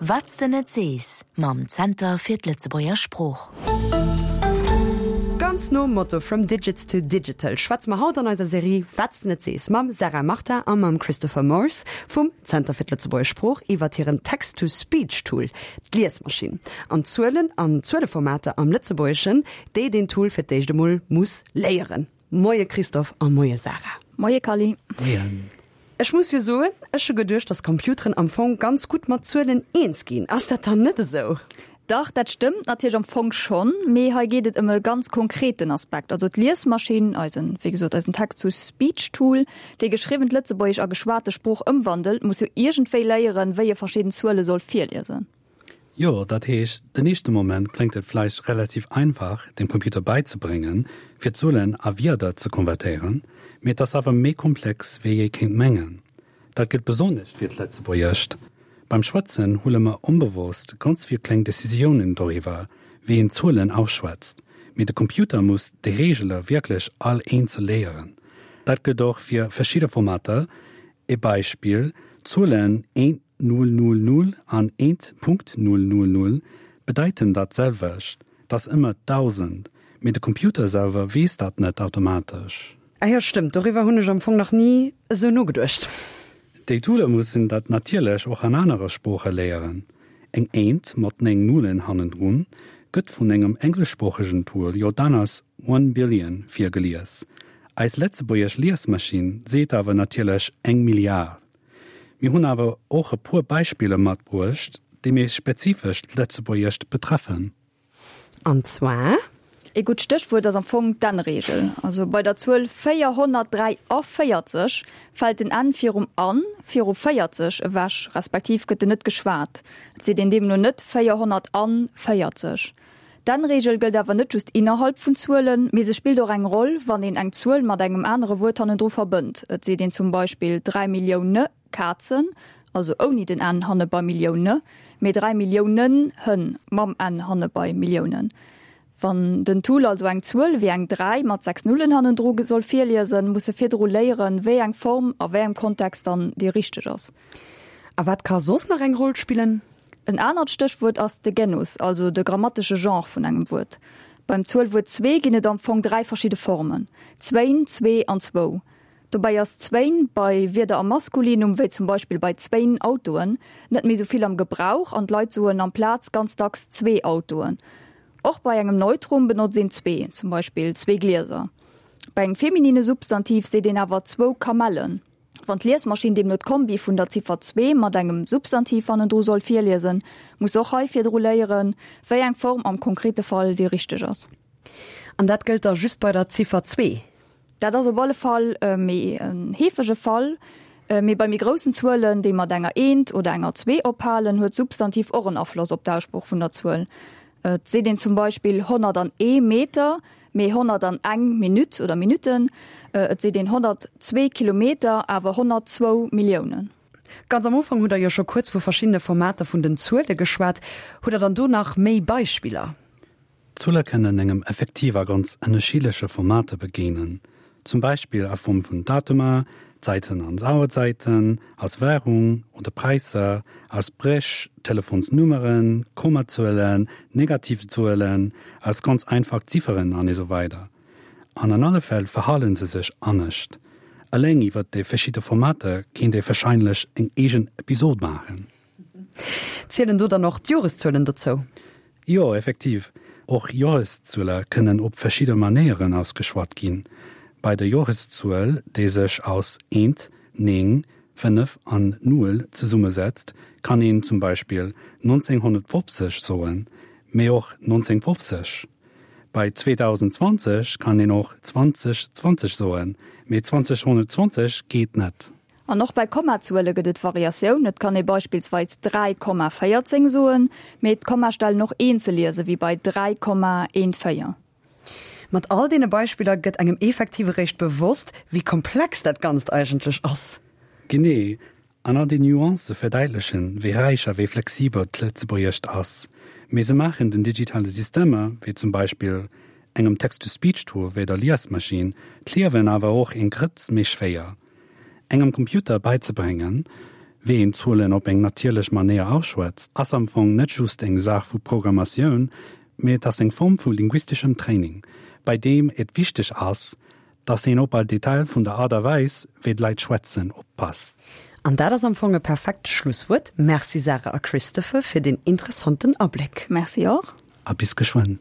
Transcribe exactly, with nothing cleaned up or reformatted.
Wat s de net sees mam Zenter fir d'Lëtzebuerger Sprooch. Ganz nom Motto From Digits to Digital schwätze mer haut an eiser Serie Wat s de net sees mam Sarah Martin a mam Christopher Morse vum Zenter fir d'Lëtzebuerger Sprooch iwwer hiren Text-to-Speech-Tool, d'Liesmaschinn. An Zuelen an Zueleformater am Lëtzebuergeschen, déi den Tool fir d'éischt emol muss léieren. Moie Christophe a moie Sarah. Moie Kally. Moien. Ech muss jo soen, ech hu geduecht, dass Computeren am Fong ganz gutt mat Zuelen eens ginn. Ass dat dann net esou? Dach, dat stëmmt natierlech am Fong schonn, mee hei geet et ëm e ganz konkreten Aspekt. Also d'Liesmaschinn, eisen, wéi gesot, eisen Text-to-Speech-Tool, dee geschriwwent Lëtzebuergesch a geschwate Sprooch ëmwandelt, muss jo iergendwéi léieren, wéi e verschidden Zuele soll virliesen. Jo, dat heescht, den éischte Moment kléngt et vläicht relativ einfach, dem Computer bäizebréngen, fir Zuelen a Wierder ze konvertéieren, mee et ass awer méi komplex, wéi ee kéint mengen. Dat gëllt besonnesch fir d'Lëtzebuergescht. Beim Schwätzen huele mer onbewosst ganz vill kleng Decisiounen doriwwer, wéi een Zuelen ausschwätzt, mee de Computer muss déi Reegele wierklech all eenzel léieren. Dat gëllt och fir verschidde Formater, E Beispill, D'Zuelen eent Null Null Null an eent Punkt Null Null Null bedeiten dat selwecht, 't ass ëmmer dausend, mee de Computer selwer weess dat net automatesch. Ah jo, stëmmt, doriwwer hunn ech am Fong nach ni esou nogeduecht. Déi Toole mussen dat natierlech och an anere Sprooche léieren. Eng Eent mat néng Nullen hannendrun gëtt vun engem engleschsproochegen Tool jo dann als one billion virgelies. Eis lëtzebuergesch Liesmaschinn seet awer natierlech eng Milliard. Mir hunn awer och e puer Beispiller matbruecht, déi méi spezifesch d'Lëtzebuergescht betreffen. An zwar? Ee gutt Stéchwuert ass am Fong d'Enn-Reegel. Also bei der Zuel véierhonnertdräiavéierzeg fält den N virum an viru véierzeg ewech, respektiv gëtt en net geschwat. Et seet een deemno net véierhonnertanvéierzeg. D'Enn-Reegel gëllt awer net just innerhalb vun Zuelen, mee se spillt och eng Roll, wann een eng Zuel mat engem anere Wuert hannendru verbënnt. Et seet een zum Beispill dräi Millioune Kazen, also ouni den n hanne bei Millioune, mee dräi Milliounen Hënn mam n hanne bei Milliounen. Wann den Tool also eng Zuel wéi eng dräi mat sechs Nullen hannendru soll virliesen, muss e virdru léieren, wéi eng Form a wéi engem Kontext dann déi richteg ass. A wat ka soss nach eng Roll spillen? En anert Stéchwuert ass de Genus, also de grammatesche Genre vun engem Wuert. Beim Zuelwuert zwee ginn et am Fong dräi verschidde Formen, zwéin, zwee an zwou. Dobäi ass zwéin bei Wierder am Maskulinum, wéi zum Beispill bei zwéin Autoen, net méi sou vill am Gebrauch an d'Leit soen amplaz ganz dacks zwee Autoen. Och bei engem Neutrum benotzt een zwee, zum Beispill zwee Glieser. Bei engem feminine Substantiv seet een awer zwou Kamellen. Wann d'Liesmaschinn deemno d'Kombi vun der Ziffer zwee mat engem Substantiv hannendru soll virliesen, muss se och hei virdru léieren, wéi eng Form am konkrete Fall déi richteg ass. An dat gëllt da just bei der Ziffer zwee? Dat ass op alle Fall méi en heefege Fall. Mee bei méi groussen Zuelen, déi mat enger Eent oder enger Zwee ophalen, huet d'Substantiv och en Afloss op d'Aussprooch vun der Zuel. Et seet een zum Beispill honnert an ee Meter, mee honnert an eng Minutt oder Minutten. Et seet een honnertzwee Kilometer, awer honnertzwou Milliounen. Ganz am Ufank hutt Der jo scho kuerz vu verschiddene Formater vun den Zuele geschwat. Hutt Der dann do nach méi Beispiller? Zuele kënnen engem effektiv a ganz ënnerschiddleche Formater begéinen, zum Beispill a Form vun Datumer, Zäiten an Auerzäiten, als Wärung oder Präisser, als Bréch, Telefonsnummeren, Kommazuelen, negativ Zuelen, als ganz einfach Zifferen an esou weider. An an alle Fäll verhale se sech anescht. Eleng iwwer déi verschidde Formater kéint ee warscheinlech eng eegen Episod maachen. Zielen do dann och d'Joreszuelen dozou? Jo, effektiv. Och Joreszuele kënnen op verschidde Manéieren ausgeschwat ginn. Bei der Joreszuel, déi sech aus eent, néng, fënnef an null zesummesetzt, kann een zum Beispill nonzénghonnertfofzeg soen, mee och nonzéngfofzeg. Bei zweedausendzwanzeg kann een och zwanzegzwanzeg soen, mee zwanzeghonnertzwanzeg geet net. An och bei Kommazuele gëtt et Variatioun, Et kann ee beispillsweis dräi Komma véierzéng soen, mee d'Kommastellen och eenzel liese wéi bei dräi Komma eent véier. Mat all deene Beispiller gëtt engem effektiv eréischt bewosst, wéi komplex dat Ganzt eigentlech ass. Genee, an all déi Nuancë verdäitlechen, wéi räich a wéi flexibel d'Lëtzebuergescht ass. Mee se maachen den digitale Systemer, wéi zum Beispill engem Text-to-Speech-Tool wéi der Liesmaschinn, d'Liewen awer och eng Grëtz méi schwéier. Engem Computer beizebréngen, wéi een Zuelen op eng natierlech Manéier ausschwätzt, ass am Fong net just eng Saach vu Programmatioun, mee et ass eng Form vu linguisteschem Training, bei deem et wichteg ass, dass een op all Detail vun der Aart a Weis, wéi d'Leit schwätzen, oppasst. An dat ass am Fong e perfekt Schlusswuert. Merci Sarah a Christopher fir den interessanten Abléck. Merci och. A bis geschwënn.